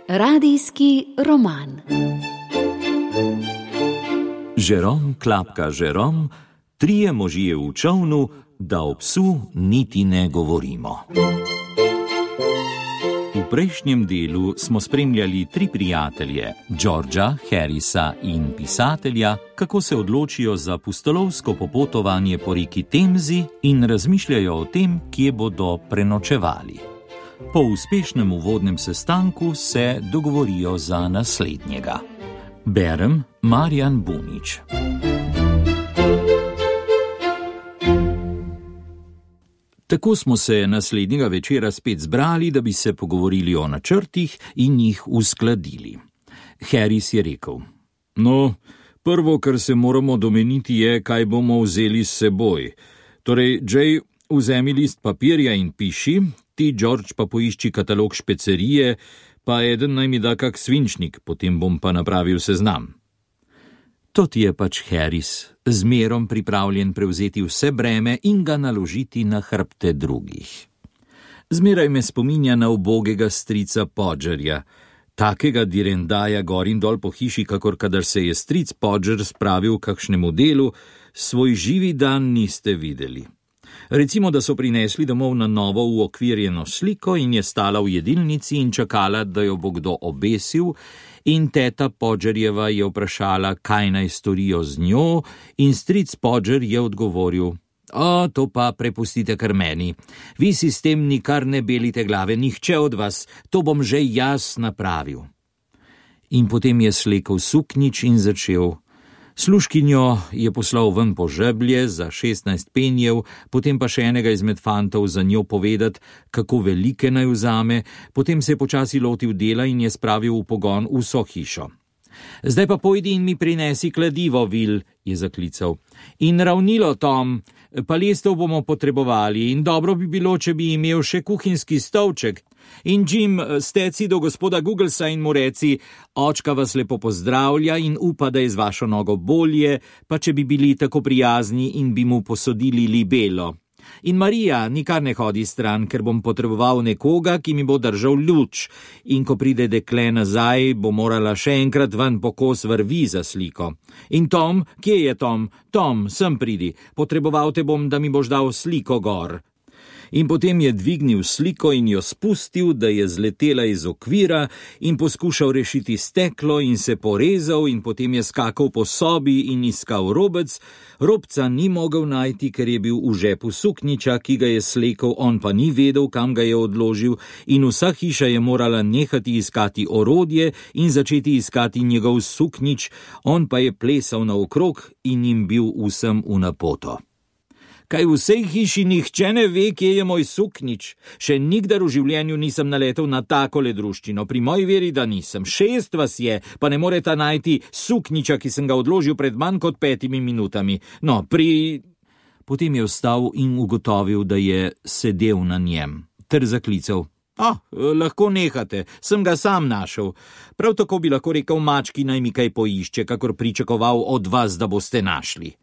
Radijski roman. Žerom klapka Žerom, trije možje v čolnu, da o psu niti ne govorimo. V prejšnjem delu smo spremljali tri prijatelje, Georgea, Harrisa in pisatelja, kako se odločijo za pustolovsko popotovanje po reki Temzi in razmišljajo o tem, kje bodo prenočevali. Po uspešnem uvodnem sestanku se dogovorijo za naslednjega. Berem Marjan Bunič. Tako smo se naslednjega večera spet zbrali, da bi se pogovorili o načrtih in jih uskladili. Harris je rekel: No, prvo, kar se moramo domeniti, je, kaj bomo vzeli s seboj. Torej, Jay, vzemi list papirja in piši, ti, George, pa poišči katalog špecerije, pa eden naj mi da kak svinčnik, potem bom pa napravil seznam. To ti je pač Harris, zmerom pripravljen prevzeti vse breme in ga naložiti na hrbte drugih. Zmeraj me spominja na ubogega strica Podgerja, takega direndaja gor in dol po hiši, kakor kadar se je stric Podger spravil kakšnemu delu, svoj živi dan niste videli. Recimo, da so prinesli domov na novo uokvirjeno sliko in je stala v jedilnici in čakala, da jo bo kdo obesil, in teta Podgerjeva je vprašala, kaj naj storijo z njo, in stric Podger je odgovoril: to pa prepustite kar meni. Vi si s tem nikar ne belite glave, nihče od vas, to bom že jaz napravil. In potem je slekel suknjič in začel. Služkinjo je poslal ven po žeblje za 16 penjev, potem pa še enega izmed fantov za njo povedati, kako velike naj vzame, potem se je počasi lotil dela in je spravil v pogon vso hišo. Zdaj pa pojdi in mi prinesi kladivo, Will, je zaklical. In ravnilo, Tom, palestev bomo potrebovali in dobro bi bilo, če bi imel še kuhinjski stolček. In Jim, steci do gospoda Googlesa in mu reci: očka vas lepo pozdravlja in upa, da je z vašo nogo bolje, pa če bi bili tako prijazni in bi mu posodili libelo. In Marija, nikar ne hodi stran, ker bom potreboval nekoga, ki mi bo držal luč. In ko pride dekle nazaj, bo morala še enkrat ven po kos vrvi za sliko. In Tom, kje je Tom? Tom, sem pridi, potreboval te bom, da mi boš dal sliko gor. In potem je dvignil sliko in jo spustil, da je zletela iz okvira in poskušal rešiti steklo in se porezal in potem je skakal po sobi in iskal robec. Robca ni mogel najti, ker je bil v žepu suknjiča, ki ga je slekel, on pa ni vedel, kam ga je odložil, in vsa hiša je morala nehati iskati orodje in začeti iskati njegov suknjič, on pa je plesal naokrog in jim bil vsem v napoto. Kaj v vsej hiši nihče ne ve, kje je moj suknjič? Še nikdar v življenju nisem naletel na takole druščino, pri moji veri, da nisem. 6 vas je, pa ne moreta najti suknjiča, ki sem ga odložil pred manj kot 5 minutami. No, Potem je vstal in ugotovil, da je sedel na njem, ter zaklical: lahko nehate, sem ga sam našel. Prav tako bi lahko rekel mački, naj mi kaj poišče, kakor pričakoval od vas, da boste našli.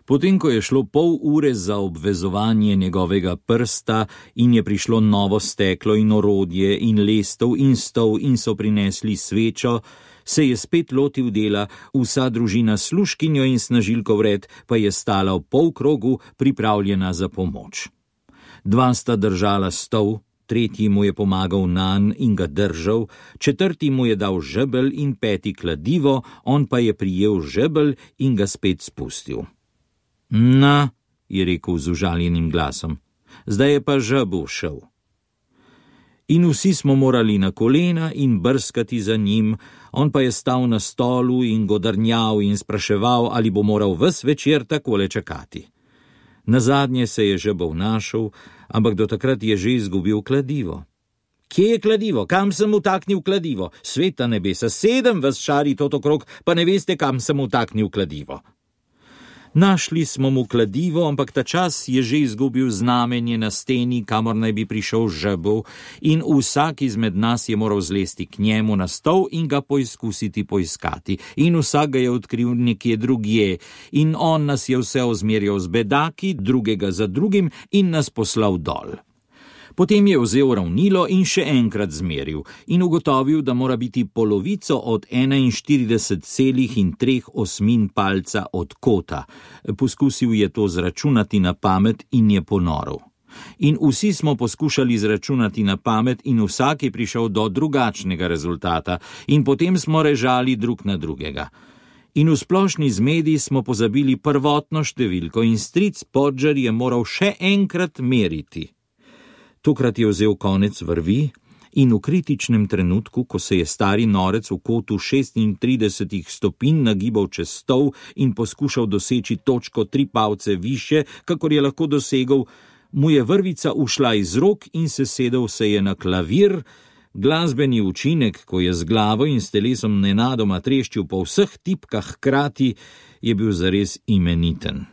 Potem, ko je šlo pol ure za obvezovanje njegovega prsta in je prišlo novo steklo in orodje in lestev in stol in so prinesli svečo, se je spet lotil dela, vsa družina s služkinjo in snažilko vred pa je stala v polkrogu, pripravljena za pomoč. 2 sta držala stol, 3. mu je pomagal nanj in ga držal, 4. mu je dal žebelj in 5. kladivo, on pa je prijel žebelj in ga spet spustil. Na, je rekel z užaljenim glasom, zdaj je pa žabu šel. In vsi smo morali na kolena in brskati za njim, on pa je stal na stolu in godrnjal in spraševal, ali bo moral ves večer takole čakati. Nazadnje se je žebel našel, ampak do takrat je že izgubil kladivo. Kje je kladivo? Kam sem utaknil kladivo? Sveta nebesa, 7 vas šari tot okrog, pa ne veste, kam sem utaknil kladivo. Našli smo mu kladivo, ampak ta čas je že izgubil znamenje na steni, kamor naj bi prišel žebel, in vsak izmed nas je moral zlesti k njemu na stol in ga poizkusiti poiskati. In vsak ga je odkril nekje drugje, in on nas je vse ozmerjal z bedaki, drugega za drugim, in nas poslal dol. Potem je vzel ravnilo in še enkrat zmeril in ugotovil, da mora biti polovico od 41,3 palca od kota. Poskusil je to zračunati na pamet in je ponorel. In vsi smo poskušali zračunati na pamet in vsak je prišel do drugačnega rezultata in potem smo režali drug na drugega. In v splošni zmedi smo pozabili prvotno številko in stric Podger je moral še enkrat meriti. Tokrat je vzel konec vrvi in v kritičnem trenutku, ko se je stari norec v kotu 36 stopinj nagibal čez stol in poskušal doseči točko 3 palce više, kakor je lahko dosegel, mu je vrvica ušla iz rok in sesedel se je na klavir. Glasbeni učinek, ko je z glavo in s telesom nenadoma treščil po vseh tipkah hkrati, je bil zares imeniten.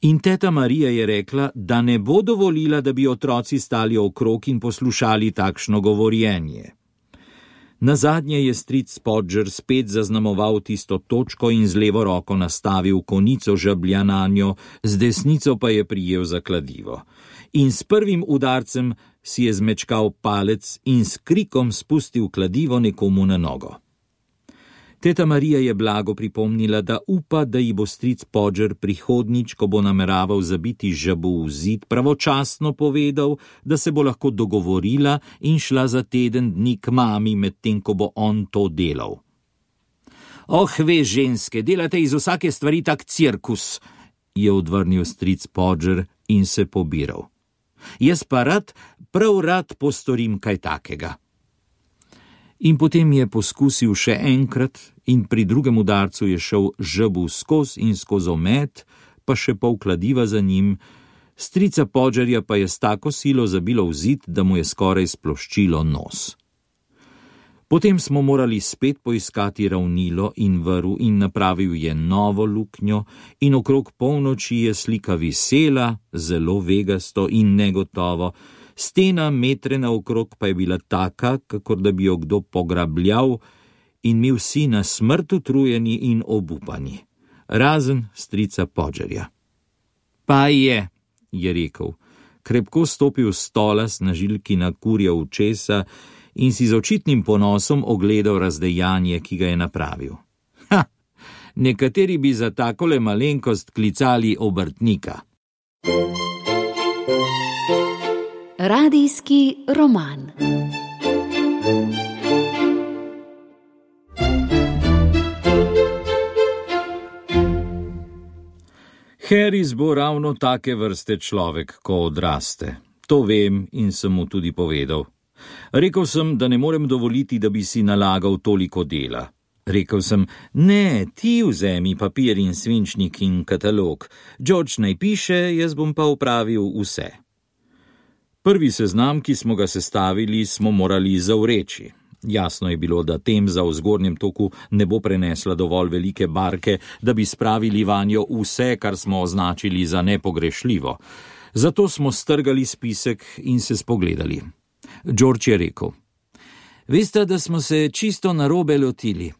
In teta Marija je rekla, da ne bo dovolila, da bi otroci stali okrog in poslušali takšno govorjenje. Nazadnje je stric Podger spet zaznamoval tisto točko in z levo roko nastavil konico žablja nanjo, z desnico pa je prijel za kladivo. In s prvim udarcem si je zmečkal palec in s krikom spustil kladivo nekomu na nogo. Teta Marija je blago pripomnila, da upa, da ji bo stric Podger prihodnjič, ko bo nameraval zabiti žabu v zid, pravočasno povedal, da se bo lahko dogovorila in šla za teden dni k mami, medtem ko bo on to delal. Oh, veš, ženske, delate iz vsake stvari tak cirkus, je odvrnil stric Podger in se pobiral. Jaz pa prav rad postorim kaj takega. In potem je poskusil še enkrat in pri drugem udarcu je šel žabu skoz in skozi omet, pa še pol kladiva za njim, strica Podgerja pa je s tako silo zabilo v zid, da mu je skoraj sploščilo nos. Potem smo morali spet poiskati ravnilo in vrv in napravil je novo luknjo in okrog polnoči je slika visela, zelo vegasto in negotovo, stena metre naokrog pa je bila taka, kakor da bi jo kdo pograbljal in mi vsi na smrt utrujeni in obupani, razen strica Podgerja. Pa je rekel, krepko stopil s stola s snažilki na kurja učesa in si z očitnim ponosom ogledal razdejanje, ki ga je napravil. Nekateri bi za takole malenkost klicali obrtnika. Radijski roman. Harris bo ravno take vrste človek, ko odraste. To vem in sem mu tudi povedal. Rekel sem, da ne morem dovoliti, da bi si nalagal toliko dela. Rekel sem, ne, ti vzemi papir in svinčnik in katalog. George naj piše, jaz bom pa opravil vse. Prvi seznam, ki smo ga sestavili, smo morali zavreči. Jasno je bilo, da Temza v zgornjem toku ne bo prenesla dovolj velike barke, da bi spravili vanjo vse, kar smo označili za nepogrešljivo. Zato smo strgali spisek in se spogledali. George je rekel, veste, da smo se čisto narobe lotili.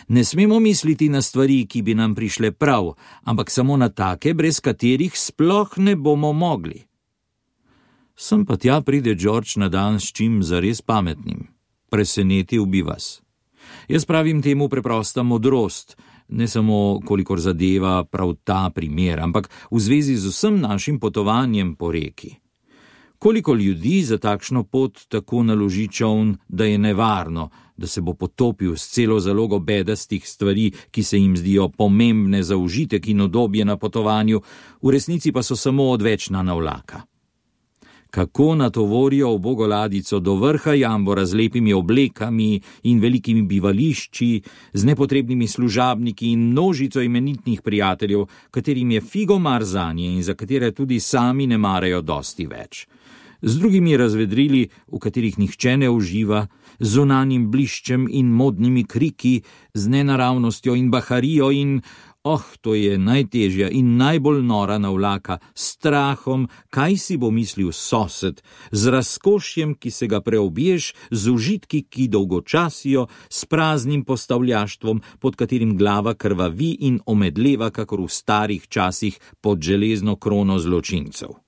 Ne smemo misliti na stvari, ki bi nam prišle prav, ampak samo na take, brez katerih sploh ne bomo mogli. Sem pa tja pride George na dan s čim zares pametnim. Presenetil bi vas. Jaz pravim temu preprosta modrost, ne samo kolikor zadeva prav ta primer, ampak v zvezi z vsem našim potovanjem po reki. Koliko ljudi za takšno pot tako naloži čoln, da je nevarno, da se bo potopil s celo zalogo bedastih stvari, ki se jim zdijo pomembne za užitek in udobje na potovanju, v resnici pa so samo odvečna navlaka. Kako natovorijo ubogo ladico do vrha jambora z lepimi oblekami in velikimi bivališči, z nepotrebnimi služabniki in množico imenitnih prijateljev, katerim je figo mar zanje in za katere tudi sami ne marajo dosti več. Z drugimi razvedrili, v katerih nihče ne uživa, z zunanjim bliščem in modnimi kriki, z nenaravnostjo in baharijo in, to je najtežja in najbolj nora navlaka, s strahom, kaj si bo mislil sosed, z razkošjem, ki se ga preobješ, z užitki, ki dolgočasijo, s praznim postavljaštvom, pod katerim glava krvavi in omedleva, kakor v starih časih pod železno krono zločincev.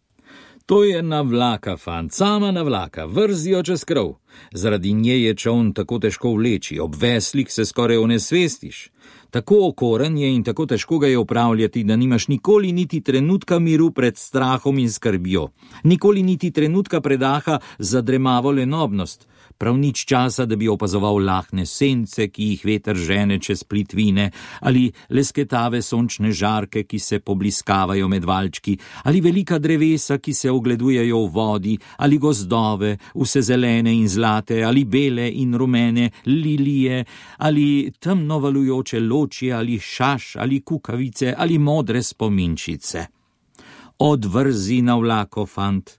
To je navlaka, fant, sama navlaka, vrzijo čez krov. Zaradi nje je čoln tako težko vleči, ob veslih se skoraj onesvestiš. Tako okoren je in tako težko ga je upravljati, da nimaš nikoli niti trenutka miru pred strahom in skrbjo. Nikoli niti trenutka predaha za dremavo lenobnost. Prav nič časa, da bi opazoval lahne sence, ki jih veter žene čez plitvine, ali lesketave sončne žarke, ki se pobliskavajo med valčki, ali velika drevesa, ki se ogledujejo v vodi, ali gozdove, vse zelene in zlate, ali bele in rumene lilije, ali temno valujoče ločje, ali šaš, ali kukavice, ali modre spominčice. Odvrzi navlako, fant.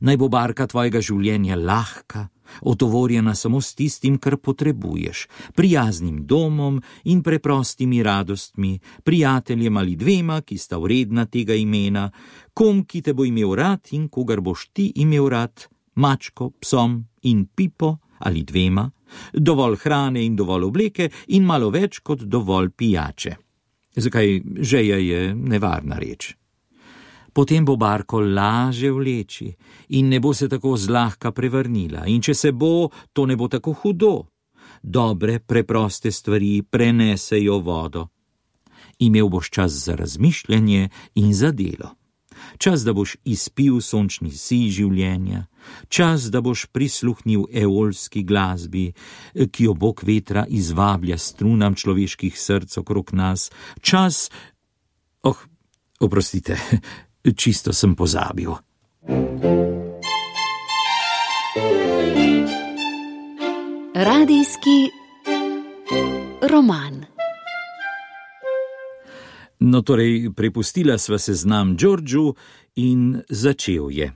Naj bo barka tvojega življenja lahka, otovorjena samo s tistim, kar potrebuješ, prijaznim domom in preprostimi radostmi, prijateljem ali dvema, ki sta vredna tega imena, kom, ki te bo imel rad in kogar boš ti imel rad, mačko, psom in pipo ali dvema, dovolj hrane in dovolj obleke in malo več kot dovolj pijače. Zakaj žeja je nevarna reč. Potem bo barko laže vleči in ne bo se tako zlahka prevrnila. In če se bo, to ne bo tako hudo. Dobre, preproste stvari prenesejo vodo. Imel boš čas za razmišljanje in za delo. Čas, da boš izpil sončni sij življenja. Čas, da boš prisluhnil eolski glasbi, ki jo Bog vetra izvablja strunam človeških src okrog nas. Čas... Oprostite... Čisto sem pozabil. Radijski roman. No, torej, prepustila sva se znam Georgeu in začel je.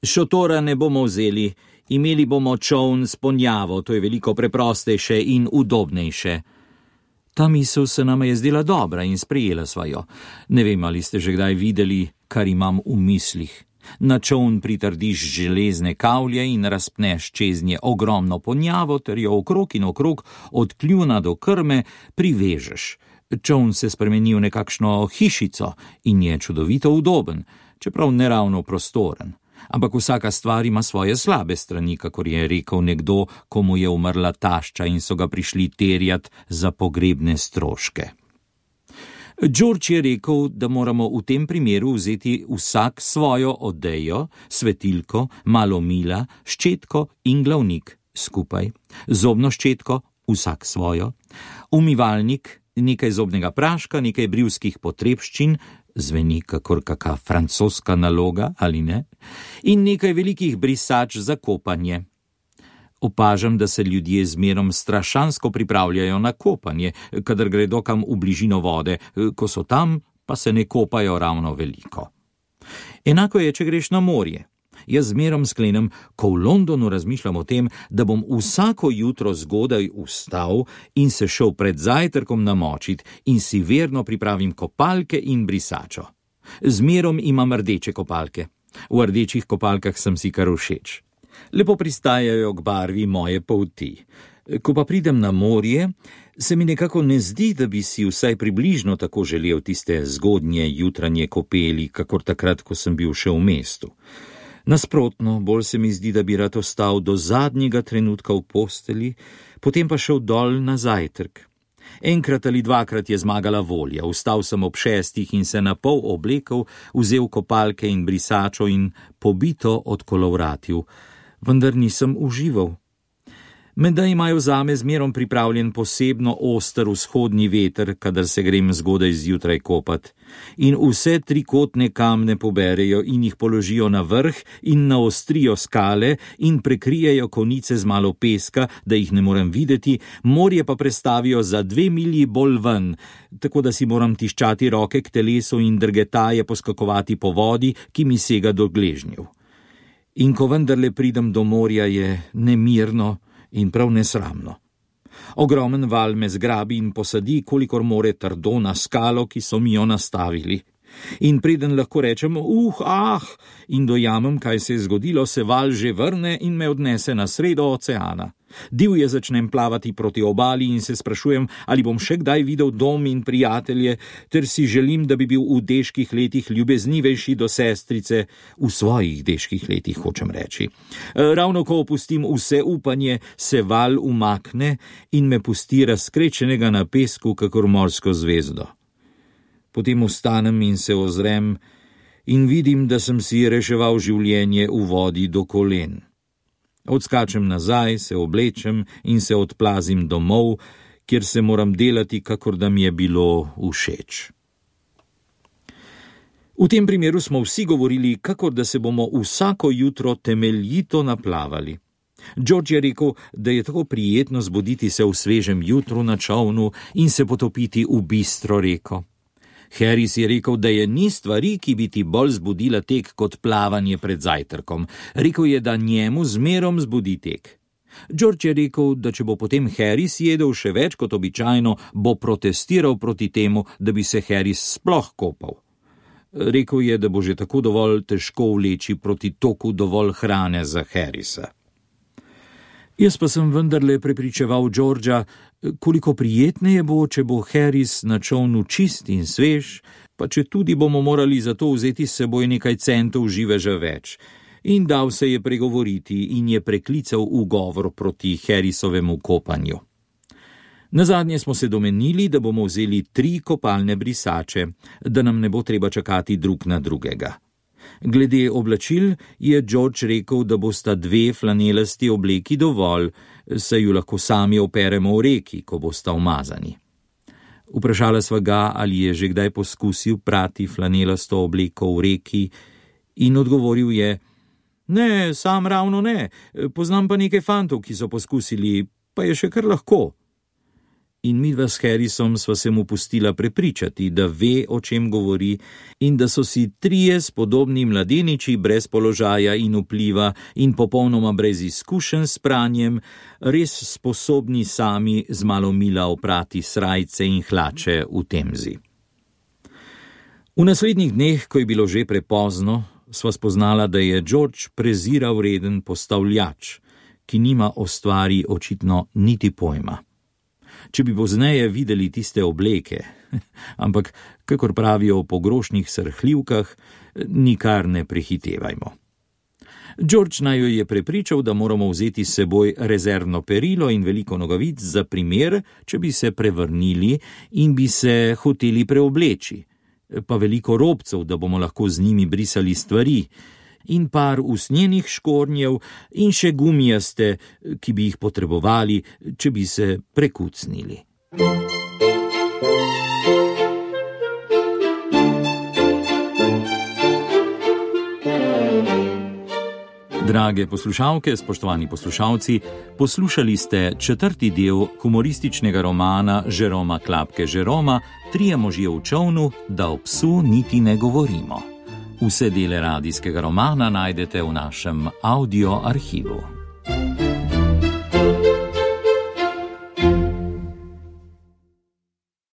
Šotora ne bomo vzeli, imeli bomo čoln s ponjavo, to je veliko preprostejše in udobnejše. Ta misel se nama je zdela dobra in sprejela sva jo. Ne vem, ali ste že kdaj videli, kar imam v mislih. Na čoln pritrdiš železne kavlje in razpneš čeznje ogromno ponjavo ter jo okrog in okrog od kljuna do krme privežeš. Čoln se spremeni v nekakšno hišico in je čudovito udoben, čeprav neravno prostoren. Ampak vsaka stvar ima svoje slabe strani, kakor je rekel nekdo, komu je umrla tašča in so ga prišli terjat za pogrebne stroške. George je rekel, da moramo v tem primeru vzeti vsak svojo odejo, svetilko, malo mila, ščetko in glavnik skupaj, zobno ščetko, vsak svojo, umivalnik, nekaj zobnega praška, nekaj brivskih potrebščin, zveni kakor kaka francoska naloga, ali ne, in nekaj velikih brisač za kopanje. Opažam, da se ljudje zmerom strašansko pripravljajo na kopanje, kadar gredo kam v bližino vode, ko so tam, pa se ne kopajo ravno veliko. Enako je, če greš na morje. Jaz zmerom sklenem, ko v Londonu razmišljam o tem, da bom vsako jutro zgodaj vstal in se šel pred zajtrkom namočit in si verno pripravim kopalke in brisačo. Zmerom imam rdeče kopalke. V rdečih kopalkah sem si kar všeč. Lepo pristajajo k barvi moje polti. Ko pa pridem na morje, se mi nekako ne zdi, da bi si vsaj približno tako želel tiste zgodnje jutranje kopeli, kakor takrat, ko sem bil še v mestu. Nasprotno, bolj se mi zdi, da bi rad ostal do zadnjega trenutka v posteli, potem pa šel dol na zajtrk. Enkrat ali dvakrat je zmagala volja, vstal sem ob 6 in se napol oblekel, vzel kopalke in brisačo in pobito odkolovratil, vendar nisem užival. Menda imajo zame zmerom pripravljen posebno oster vzhodni veter, kadar se grem zgodaj zjutraj kopat. In vse trikotne kamne poberejo in jih položijo na vrh in naostrijo skale in prekrijejo konice z malo peska, da jih ne morem videti, morje pa prestavijo za 2 milji bolj ven, tako da si moram tiščati roke k telesu in drgetaje poskakovati po vodi, ki mi sega do gležnjev. In ko vendarle pridem do morja, je nemirno in prav nesramno. Ogromen val me zgrabi in posadi, kolikor more trdo na skalo, ki so mi jo nastavili. In preden lahko rečem, in dojamem, kaj se je zgodilo, se val že vrne in me odnese na sredo oceana. Divje začnem plavati proti obali in se sprašujem, ali bom še kdaj videl dom in prijatelje, ter si želim, da bi bil v deških letih ljubeznivejši do sestrice, v svojih deških letih, hočem reči. Ravno ko opustim vse upanje, se val umakne in me pusti razkrečenega na pesku, kakor morsko zvezdo. Potem vstanem in se ozrem in vidim, da sem si reševal življenje v vodi do kolen. Odskačem nazaj, se oblečem in se odplazim domov, kjer se moram delati, kakor da mi je bilo všeč. V tem primeru smo vsi govorili, kakor da se bomo vsako jutro temeljito naplavali. George je rekel, da je tako prijetno zbuditi se v svežem jutru na čolnu in se potopiti v bistro reko. Harris je rekel, da je ni stvari, ki bi ti bolj zbudila tek kot plavanje pred zajtrkom. Rekel je, da njemu zmerom zbudi tek. George je rekel, da če bo potem Harris jedel še več kot običajno, bo protestiral proti temu, da bi se Harris sploh kopal. Rekel je, da bo že tako dovolj težko vleči proti toku dovolj hrane za Harrisa. Jaz pa sem vendarle prepričeval Georgea, koliko prijetneje bo, če bo Harris na čolnu čist in svež, pa če tudi bomo morali za to vzeti s seboj nekaj centov živeža več. In dal se je pregovoriti in je preklical ugovor proti Harrisovemu kopanju. Nazadnje smo se domenili, da bomo vzeli 3 kopalne brisače, da nam ne bo treba čakati drug na drugega. Glede oblačil je George rekel, da bosta 2 flanelasti obleki dovolj, saj ju lahko sami operemo v reki, ko bosta umazani. Vprašala sva ga, ali je že kdaj poskusil prati flanelasto obleko v reki, in odgovoril je: Ne, sam ravno ne, poznam pa nekaj fantov, ki so poskusili, pa je še kar lahko. In midva s Harrisom sva se mu pustila prepričati, da ve, o čem govori, in da so si 3 spodobni mladeniči brez položaja in vpliva in popolnoma brez izkušenj s pranjem res sposobni sami z malo mila oprati srajce in hlače v Temzi. V naslednjih dneh, ko je bilo že prepozno, sva spoznala, da je George prezira vreden postavljač, ki nima o stvari očitno niti pojma. Če bi pozneje videli tiste obleke, ampak, kakor pravijo o pogrošnih srhljivkah, nikar ne prehitevajmo. George naju je prepričal, da moramo vzeti s seboj rezervno perilo in veliko nogavic za primer, če bi se prevrnili in bi se hoteli preobleči, pa veliko robcev, da bomo lahko z njimi brisali stvari, in par usnjenih škornjev in še gumijaste, ki bi jih potrebovali, če bi se prekucnili. Drage poslušalke, spoštovani poslušalci, poslušali ste 4. del humorističnega romana Jeroma Klapke Jeroma 3 možje v čolnu, da o psu niti ne govorimo. Vse dele radijskega romana najdete v našem audio arhivu.